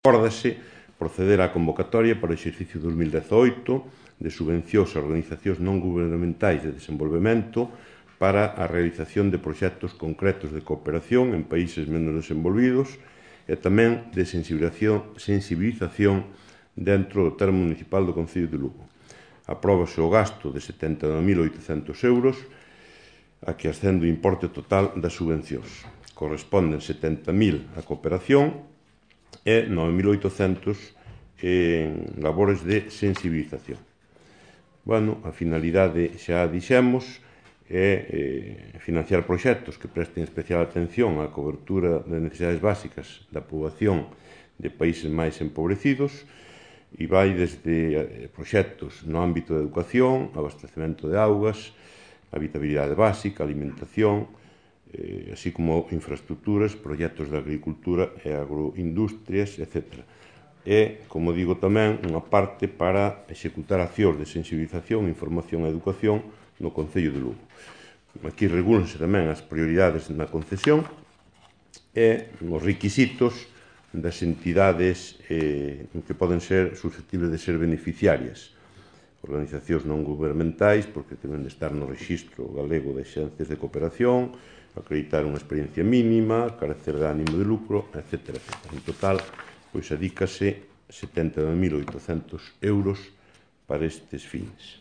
Acórdase proceder á convocatoria para o exercicio 2018 de subvencións a organizacións non gubernamentais de desenvolvemento para a realización de proxectos concretos de cooperación en países menos desenvolvidos e tamén de sensibilización dentro do termo municipal do Concello de Lugo. Apróbase o gasto de 79.800 euros a que ascende o importe total das subvencións. Corresponden 70.000 a cooperación e 9.800 en labores de sensibilización. Bueno, a finalidade xa dixemos é financiar proxectos que presten especial atención á cobertura das necesidades básicas da poboación de países máis empobrecidos e vai desde proxectos no ámbito da educación, abastecemento de augas, habitabilidade básica, alimentación, así como infraestructuras, proxectos de agricultura e agroindustrias, etc. E, como digo tamén, unha parte para executar accións de sensibilización, información e educación no Concello de Lugo. Aquí regúlanse tamén as prioridades na concesión e os requisitos das entidades que poden ser susceptibles de ser beneficiarias. Organizacións non gubernamentais, porque deben de estar no Rexistro Galego de Axencias de Cooperación, acreditar unha experiencia mínima, carecer de ánimo de lucro, etc. En total, adícase 79.800 euros para estes fins.